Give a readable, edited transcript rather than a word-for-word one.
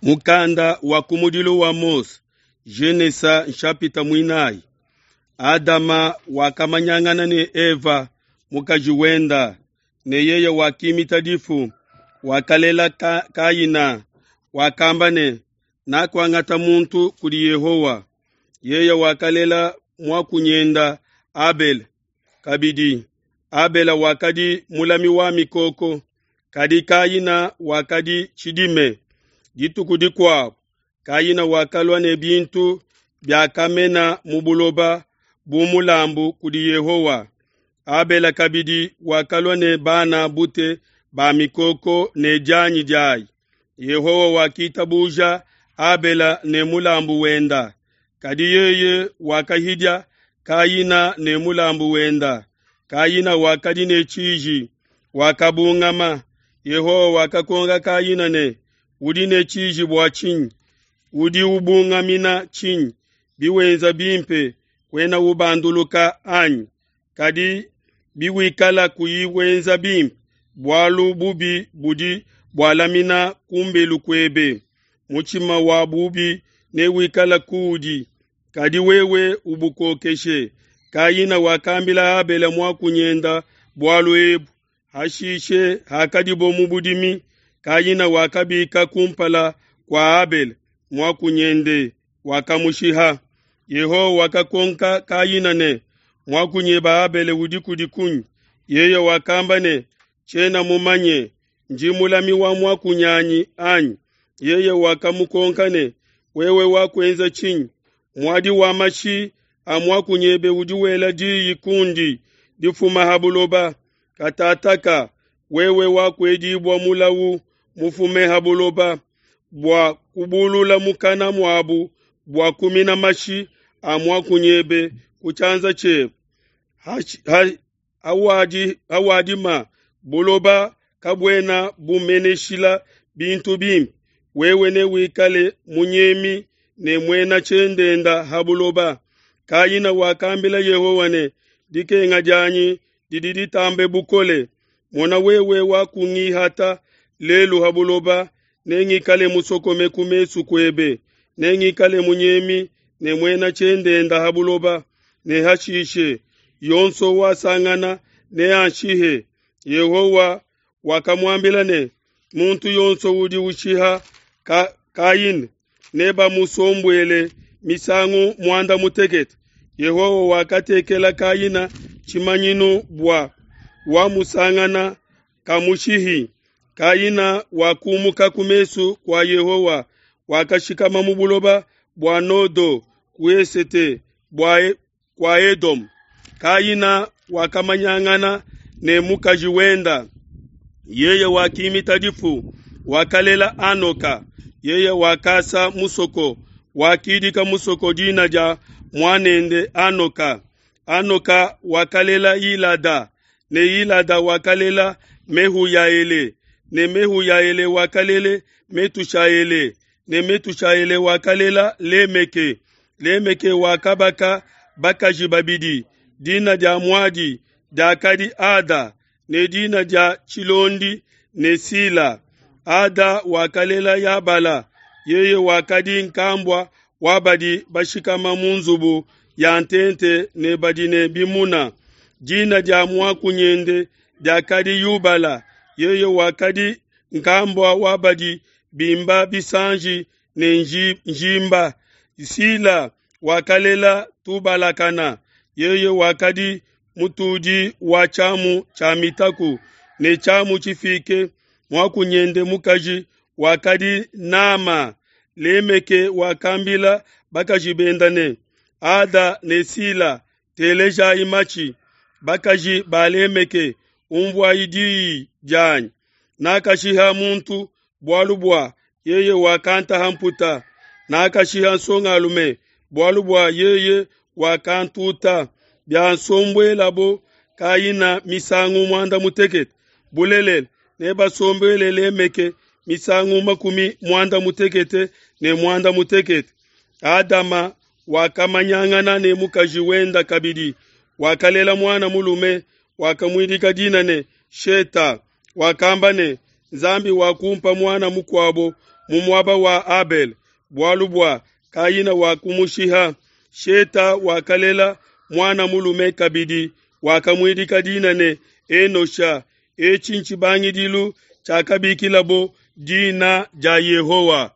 Mukanda wa kumudilu wa Mose, Genesa nshapita muinayi. Adama wakamanyangana ne Eva mukaji wenda, ne yeye wakimita difu, wakalela Ka Kaina, wakamba ne, Nakuangata muntu kudi Yehowa. Yeye wakalela muakunyenda Abele. Kabidi, Abele wakadi mulami wa mikoko, kadi Kaina wakadi tshidime. Dituku dikuabu, Kaina wakalua ne bintu biakamena mu buloba bu mulambu kudi Yehowa. Abele kabidi wakalua ne bana bute ba mikoko ne dianyi diayi. Yehowa wakitabuja Abele ne mulambu wenda, kadi yeye wakahidia Kaina ne mulambu wenda. Kaina wakadi ne tshiji, wakabungama. Yehowa wakakonka Kaina ne, Udi ne tshiji bua tshinyi? Udi ubungamina tshinyi? Biwenza bimpe, kuena ubanduluka anyi? Kadi biwikala kuyi wenza bimpe, bualu bubi budi bualamina ku mbelu kuebe. Mutshima wa bubi newikale kuudi, kadi wewe ubukokeshe. Kaina wakambila Abele muakunyenda bualu ebu. Hashishe hakadibo mu budimi, Kaina wakabika kumpala kua Abele muakunyende, wakamushiha. Yehowa wakakonka Kaina ne, Muakunyebe Abele udi kudi kunyi? Yeye wakamba ne, Tshiena mumanye, ndi mulami wa muakunyanyi anyi? Yeye wakamukonka ne, Wewe wakuenza tshinyi? Muadi wa mashi a muakunyebe udi wela diyi kundi difuma ha buloba. Katataka wewe wakuedibua mulawu mufume ha buloba bua kubulula mukana muabu bua kumina mashi a muakunyebe ku tshianza tshiebe. Hawadima buloba kabuena bumeneshila bintu bimpe, wewe newikale munyemi ne muena tshiendenda ha buloba. Kaina wakambila Yehowa ne, Dikenga dianyi didi ditambe bukole. Mona, wewe wakungihata lelu ha buloba, nengikale musokome ku mesu kuebe, nengikale munyemi ne muena tshiendenda ha buloba, ne hashishe yonso wasangana neanshihe. Yehowa wakamuambila ne, Muntu yonso udi ushiha ka, Kaina nebamusombuele misangu muanda mutekete. Yehowa wakatekela Kaina tshimanyinu bua wamusangana kamushihi. Kaina wakumuka ku mesu kua Yehowa, wakashikama mu buloba bua Nodo ku esete bua kua Edome. Kaina wakamanyangana ne mukaji wenda, yeye wakimita difu, wakalela Anoka. Yeye wakasa musoko, wakidika musoko dina dia muanende Anoka. Anoka wakalela Ilada, ne Ilada wakalela Mehuyaele, ne Mehuyaele wakalele Metushaele, ne Metushaele wakalela Lemeke. Lemeke wakabaka bakaji babidi, dina dia muadi diakadi Ada, ne dina dia tshilondi ne Sila. Ada wakalela Yabala, yeye wakadi nkambua wa badi bashikama mu nzubu ya ntente ne badi ne bimuna. Dina dia muakunyende diakadi Yubala, yeye wakadi nkambua wa badi bimba bisanji ne njimba. Sila wakalela Tubalakana, yeye wakadi mutudi wa tshiamu tshia mitaku ne tshiamu tshifike. Muakunyende mukaji wakadi Nama. Lemeke wakambila bakaji benda ne, Ada ne Sila, telejayi matshi. Bakaji ba Lemeke, umvuayi diyi dianyi. Nakashiha muntu bualu bua yeye wakantaha mputa, nakashiha nsongalume bualu bua yeye wakantuta. Biasombuelabo Kaina misangu muanda mutekete, bulelela nebasombuele Lemeke misangu makumi muanda mutekete ne muanda mutekete. Adama wakamanyangana ne mukaji wenda kabidi, wakalela muana mulume, wakamuidika dina ne Sheta. Wakamba ne, Nzambi wakumpa muana mukuabo mu muaba wa Abele, bualu bua Kayina wakumushiha. Sheta wakalela muana mulume kabidi, wakamuidika dina ne, Enosha. Etshi ntshibangidilu tshiakabikilabo dina dia Yehowa.